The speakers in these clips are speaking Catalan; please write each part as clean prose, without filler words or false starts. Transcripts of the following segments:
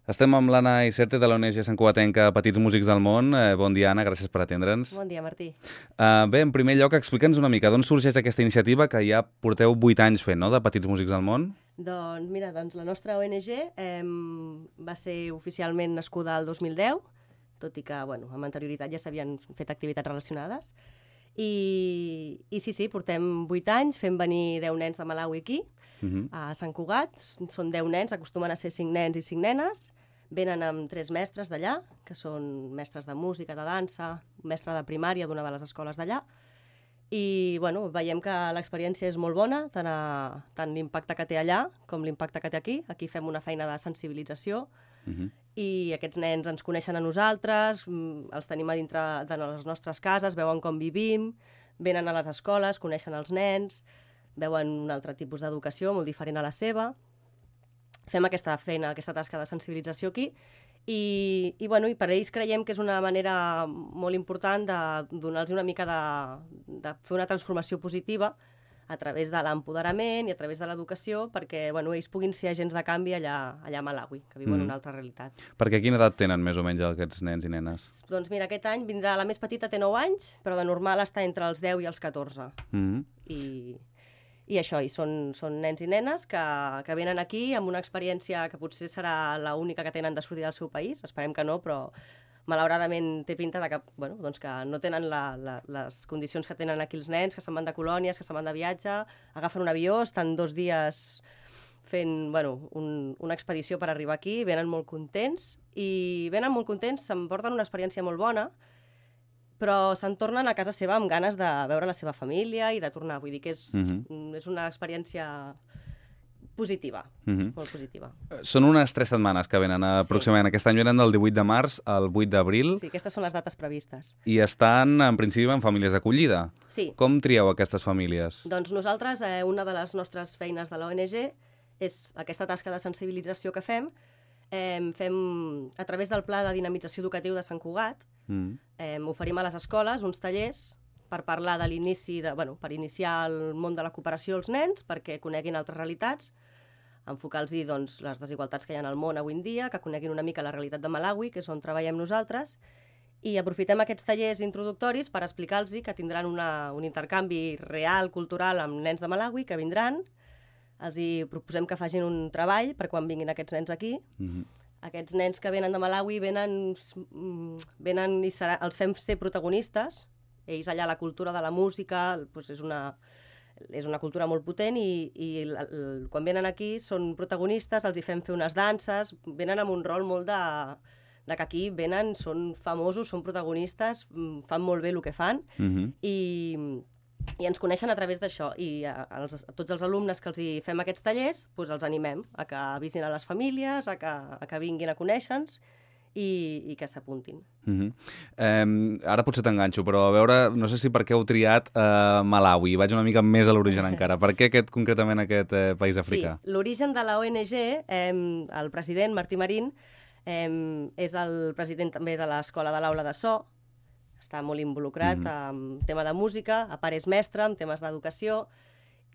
Estem amb l'Anna Icerte de l'ONG Sant Cugatenca Petits Músics del Món. Bon dia, Anna, gràcies per atendre'ns. Bon dia, Martí. Bé, en primer lloc, explica'ns una mica d'on sorgeix aquesta iniciativa que ja porteu 8 anys fent, no?, de Petits Músics del Món. Doncs mira, la nostra ONG va ser oficialment nascuda el 2010, tot i que amb anterioritat ja s'havien fet activitats relacionades. I sí, portem 8 anys fent venir 10 nens de Malawi aquí, a Sant Cugat. Són 10 nens, acostumen a ser 5 nens i 5 nenes. Venen amb 3 mestres d'allà, que són mestres de música, de dansa, mestre de primària d'una de les escoles d'allà. I veiem que l'experiència és molt bona, tant l'impacte que té allà com l'impacte que té aquí. Aquí fem una feina de sensibilització i aquests nens ens coneixen a nosaltres, els tenim a dintre de les nostres cases, veuen com vivim, venen a les escoles, coneixen els nens, veuen un altre tipus d'educació molt diferent a la seva. Fem aquesta feina, aquesta tasca de sensibilització aquí i per ells creiem que és una manera molt important de donar-los una mica de fer una transformació positiva a través de l'empoderament i a través de l'educació perquè ells puguin ser agents de canvi allà a Malawi, que viuen una altra realitat. Perquè quina edat tenen més o menys aquests nens i nenes? Doncs mira, aquest any vindrà la més petita, té 9 anys, però de normal està entre els 10 i els 14. I això, són nens i nenes que venen aquí amb una experiència que potser serà l'única que tenen de sortir del seu país, esperem que no, però malauradament té pinta de que no tenen les condicions que tenen aquí els nens, que se'n van de colònies, que se'n van de viatge, agafen un avió, estan 2 dies fent una expedició per arribar aquí, venen molt contents, s'emporten una experiència molt bona, però se'n tornen a casa seva amb ganes de veure la seva família i de tornar. Vull dir que és una experiència positiva, molt positiva. Són unes 3 setmanes que venen aproximadament. Aquest any venen del 18 de març al 8 d'abril. Sí, aquestes són les dates previstes. I estan, en principi, en famílies d'acollida. Sí. Com trieu aquestes famílies? Doncs nosaltres, una de les nostres feines de l'ONG és aquesta tasca de sensibilització que fem a través del Pla de Dinamització Educatiu de Sant Cugat. Oferim a les escoles uns tallers per parlar de l'inici, per iniciar el món de la cooperació als nens, perquè coneguin altres realitats, enfocar-los les desigualtats que hi ha al món avui en dia, que coneguin una mica la realitat de Malawi, que és on treballem nosaltres, i aprofitem aquests tallers introductoris per explicar-los que tindran un intercanvi real, cultural, amb nens de Malawi, que vindran. Els hi proposem que facin un treball per quan vinguin aquests nens aquí. Aquests nens que venen de Malawi venen i els fem ser protagonistes. Ells allà la cultura de la música és una cultura molt potent i quan venen aquí són protagonistes, els hi fem fer unes danses, venen amb un rol molt de que aquí venen, són famosos, són protagonistes, fan molt bé el que fan i ens coneixen a través d'això. I a tots els alumnes que els hi fem aquests tallers els animem a que visitin a les famílies, a que vinguin a conèixer-nos i que s'apuntin. Ara potser t'enganxo, però a veure, no sé si per què heu triat Malawi. Vaig una mica més a l'origen encara. Per què concretament aquest país africà? Sí, l'origen de la ONG, el president Martí Marín, és el president també de l'escola de l'Aula de So, està molt involucrat en tema de música, a part és mestre, en temes d'educació,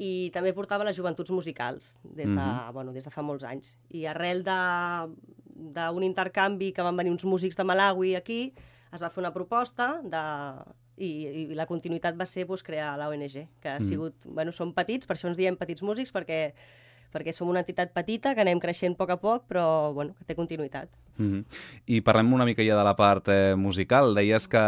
i també portava les joventuts musicals des de fa molts anys. I arrel d'un intercanvi que van venir uns músics de Malawi aquí, es va fer una proposta i la continuïtat va ser crear la ONG, que ha sigut, som petits, per això ens diem Petits Músics, perquè som una entitat petita, que anem creixent a poc, però que té continuïtat. I parlem una mica ja de la part musical. Deies que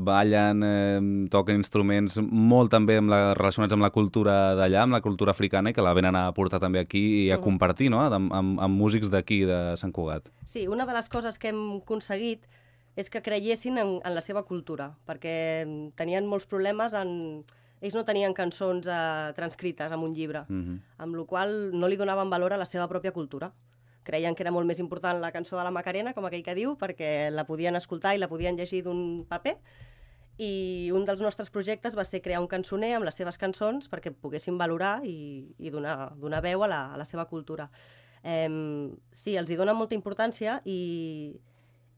ballen, toquen instruments molt també relacionats amb la cultura d'allà, amb la cultura africana, i que la venen a portar també aquí i a compartir, no?, amb músics d'aquí, de Sant Cugat. Sí, una de les coses que hem aconseguit és que creiessin en la seva cultura, perquè tenien molts problemes ells no tenien cançons transcrites en un llibre, amb la qual cosa no li donaven valor a la seva pròpia cultura. Creien que era molt més important la cançó de la Macarena, com aquell que diu, perquè la podien escoltar i la podien llegir d'un paper. I un dels nostres projectes va ser crear un cançoner amb les seves cançons perquè poguessin valorar i donar veu a la seva cultura. Sí, els hi donen molta importància i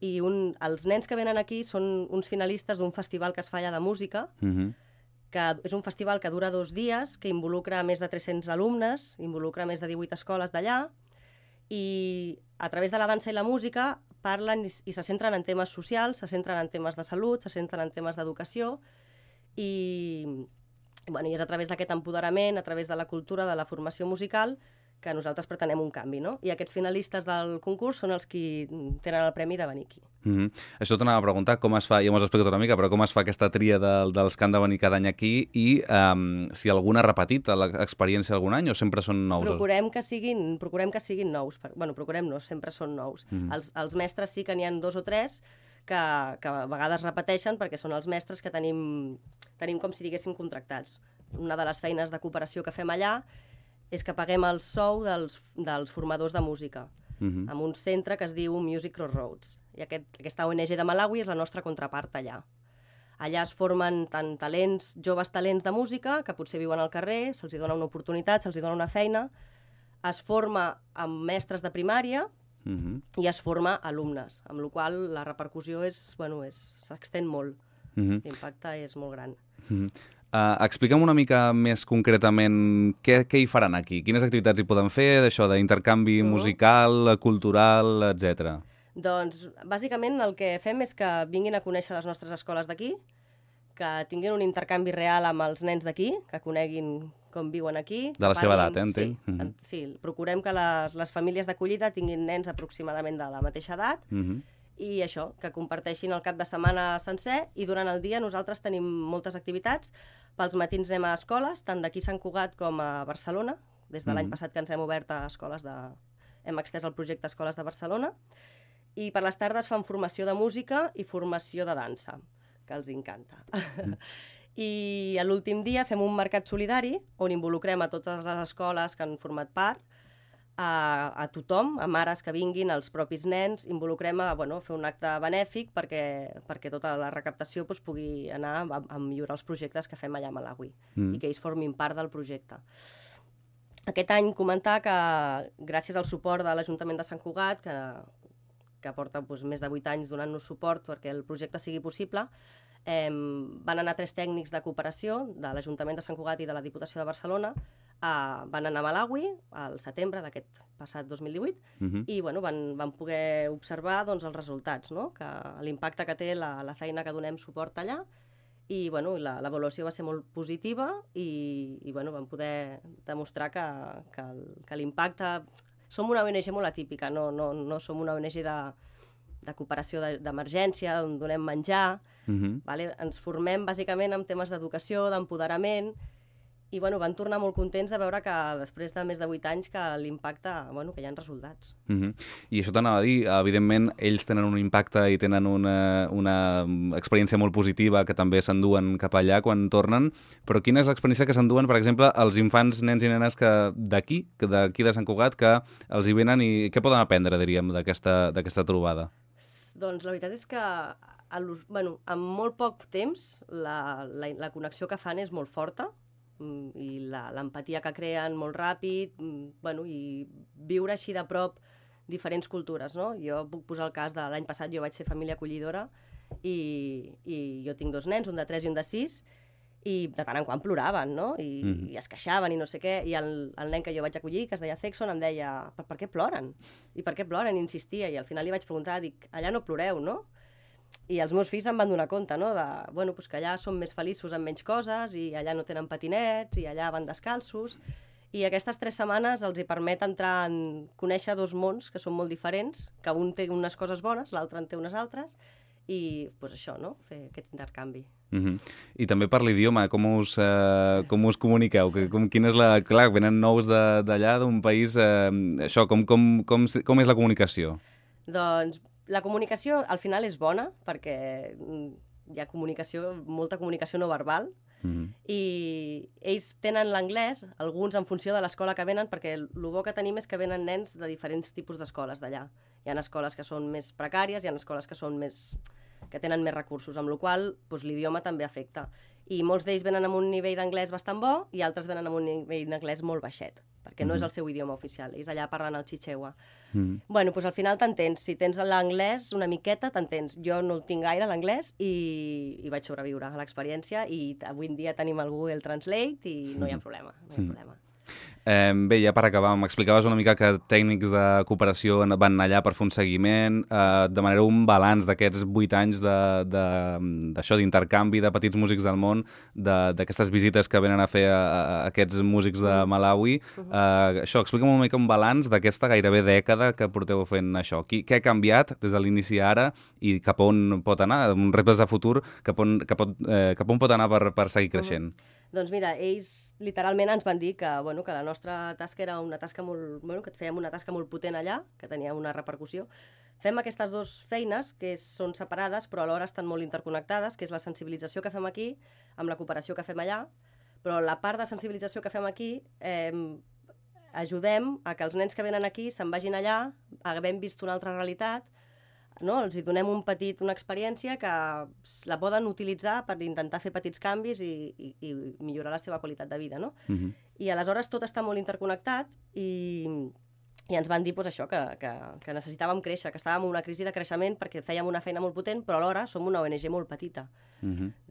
els nens que venen aquí són uns finalistes d'un festival que es fa allà de música, que és un festival que dura 2 dies, que involucra més de 300 alumnes, involucra més de 18 escoles d'allà, i a través de la dansa i la música parlen i se centren en temes socials, se centren en temes de salut, se centren en temes d'educació i és a través d'aquest empoderament, a través de la cultura, de la formació musical, que nosaltres pretenem un canvi, no? I aquests finalistes del concurs són els qui tenen el premi de venir aquí. Això t'anava a preguntar, com es fa, ja m'ho has explicat una mica, però com es fa aquesta tria dels que han de venir cada any aquí i si algun ha repetit l'experiència algun any o sempre són nous? Procurem que siguin nous. Procurem no, sempre són nous. Els mestres sí que n'hi ha 2 o 3 que a vegades repeteixen perquè són els mestres que tenim com si diguéssim contractats. Una de les feines de cooperació que fem allà és que paguem el sou dels formadors de música en un centre que es diu Music Crossroads. I aquesta ONG de Malawi és la nostra contrapart allà. Allà es formen tant joves talents de música, que potser viuen al carrer, se'ls dona una oportunitat, se'ls dona una feina, es forma amb mestres de primària i es forma alumnes, amb la qual cosa la repercussió s'extén molt. L'impacte és molt gran. Explica'm una mica més concretament què hi faran aquí, quines activitats hi poden fer, d'això d'intercanvi musical, cultural, etc. Doncs, bàsicament, el que fem és que vinguin a conèixer les nostres escoles d'aquí, que tinguin un intercanvi real amb els nens d'aquí, que coneguin com viuen aquí. De la seva edat, entenc. Sí, procurem que les famílies d'acollida tinguin nens aproximadament de la mateixa edat, i això, que comparteixin el cap de setmana sencer i durant el dia nosaltres tenim moltes activitats. Pels matins anem a escoles, tant d'aquí a Sant Cugat com a Barcelona. Des de l'any passat que ens hem obert a escoles hem extès el projecte a Escoles de Barcelona. I per les tardes fan formació de música i formació de dansa, que els encanta. I l'últim dia fem un mercat solidari on involucrem a totes les escoles que han format part, a tothom, a mares que vinguin, als propis nens, involucrem a fer un acte benèfic perquè tota la recaptació pugui anar a millorar els projectes que fem allà a Malawi i que ells formin part del projecte. Aquest any comentar que gràcies al suport de l'Ajuntament de Sant Cugat, que porta més de 8 anys donant-nos suport perquè el projecte sigui possible, van anar 3 tècnics de cooperació de l'Ajuntament de Sant Cugat i de la Diputació de Barcelona, van anar a Malawi al setembre d'aquest passat 2018 i van poder observar els resultats, que l'impacte que té la feina que donem suport allà i l'avaluació va ser molt positiva i vam poder demostrar que l'impacte... Som una ONG molt atípica, no som una ONG de cooperació d'emergència, on donem menjar. Ens formem bàsicament en temes d'educació, d'empoderament, i van tornar molt contents de veure que després de més de 8 anys que l'impacte, que hi ha resultats. I això t'anava a dir, evidentment ells tenen un impacte i tenen una experiència molt positiva que també s'enduen cap allà quan tornen, però quina és l'experiència que s'enduen, per exemple, els infants, nens i nenes d'aquí de Sant Cugat, que els hi venen i què poden aprendre, diríem, d'aquesta trobada? Doncs la veritat és que en molt poc temps la connexió que fan és molt forta, i l'empatia que creen molt ràpid, i viure així de prop diferents cultures, no? Jo puc posar el cas de l'any passat, jo vaig ser família acollidora i jo tinc 2 nens, un de 3 i un de 6, i de tant en quant ploraven, no? I es queixaven i no sé què, i el nen que jo vaig acollir, que es deia Sexton, em deia, per què ploren? I per què ploren? I insistia, i al final li vaig preguntar, dic, allà no ploreu, no? I els meus fills em van donar compte, no? Que allà són més feliços amb menys coses i allà no tenen patinets i allà van descalços. I aquestes 3 setmanes els hi permet conèixer 2 mons que són molt diferents, que un té unes coses bones, l'altre en té unes altres, i això, no? Fer aquest intercanvi. I també per l'idioma, com us comuniqueu? Quina és la... Clar, venen nous d'allà, d'un país... Això, com és la comunicació? Doncs la comunicació al final és bona perquè hi ha molta comunicació no verbal i ells tenen l'anglès, alguns en funció de l'escola que venen, perquè el bo que tenim és que venen nens de diferents tipus d'escoles d'allà. Hi ha escoles que són més precàries, hi ha escoles que tenen més recursos, amb la qual cosa l'idioma també afecta. I molts d'ells venen amb un nivell d'anglès bastant bo i altres venen amb un nivell d'anglès molt baixet, perquè no és el seu idioma oficial, ells allà parlen el chichewa. Al final t'entens, si tens l'anglès una miqueta t'entens. Jo no el tinc gaire l'anglès i vaig sobreviure a l'experiència i avui en dia tenim el Google Translate i no hi ha problema. Bé, ja per acabar, m'explicaves una mica que tècnics de cooperació van allà per fer un seguiment. Demanareu un balanç d'aquests 8 anys d'això, d'intercanvi de petits músics del món, d'aquestes visites que venen a fer a aquests músics de Malawi. Això, explica'm una mica un balanç d'aquesta gairebé dècada que porteu fent això. Què ha canviat des de l'inici a ara i cap on pot anar? Un reptes de futur, cap on pot anar per seguir creixent? Doncs mira, ells literalment ens van dir que la nostra tasca era una tasca que fèiem una tasca molt potent allà, que tenia una repercussió. Fem aquestes dues feines, que són separades, però alhora estan molt interconnectades, que és la sensibilització que fem aquí amb la cooperació que fem allà, però la part de sensibilització que fem aquí ajudem a que els nens que venen aquí se'n vagin allà, havent vist una altra realitat, no? Els hi donem una experiència que la poden utilitzar per intentar fer petits canvis i millorar la seva qualitat de vida, no? I aleshores tot està molt interconnectat i ens van dir això, que necessitàvem créixer, que estàvem en una crisi de creixement perquè fèiem una feina molt potent, però alhora som una ONG molt petita.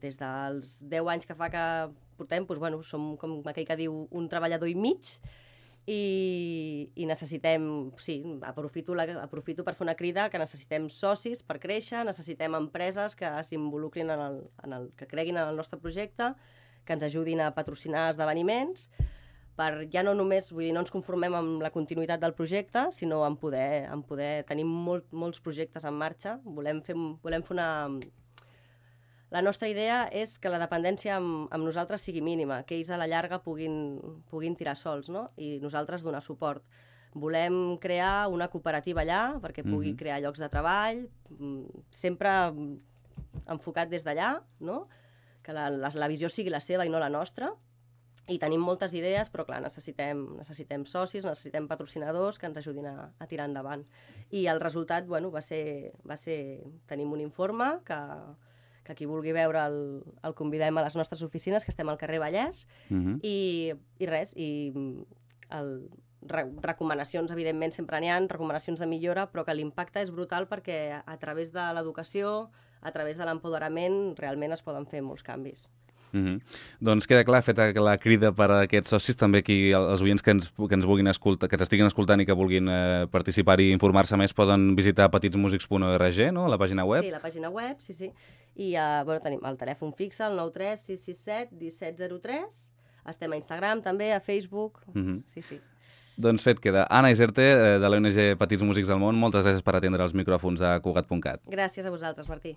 Des dels 10 anys que fa que portem, som, com aquell que diu, un treballador i mig, i necessitem, aprofito per fer una crida, que necessitem socis per créixer, necessitem empreses que s'involucrin que creguin en el nostre projecte, que ens ajudin a patrocinar esdeveniments, per ja no només, no ens conformem amb la continuïtat del projecte, sinó en poder tenir molts projectes en marxa. Volem fer una... La nostra idea és que la dependència amb nosaltres sigui mínima, que ells a la llarga puguin tirar sols, no? I nosaltres donar suport. Volem crear una cooperativa allà perquè pugui crear llocs de treball, sempre enfocat des d'allà, no? Que la visió sigui la seva i no la nostra. I tenim moltes idees, però clar, necessitem socis, necessitem patrocinadors que ens ajudin a tirar endavant. I el resultat, va ser tenim un informe que qui vulgui veure el convidem a les nostres oficines, que estem al carrer Vallès, i recomanacions, evidentment, sempre n'hi ha, recomanacions de millora, però que l'impacte és brutal perquè a través de l'educació, a través de l'empoderament, realment es poden fer molts canvis. Doncs queda clar, feta la crida per a aquests socis, també aquí els oients que ens vulguin escoltar, que ens estiguin escoltant i que vulguin participar i informar-se més, poden visitar petitsmusics.org, no?, la pàgina web. Sí, la pàgina web, sí. I tenim el telèfon fixe, el 93 667 1703. Estem a Instagram també, a Facebook. Sí. Doncs fet queda. Anna Iserte, de l'ONG Petits Músics del Món, moltes gràcies per atendre els micròfons a Cugat.cat. Gràcies a vosaltres, Martí.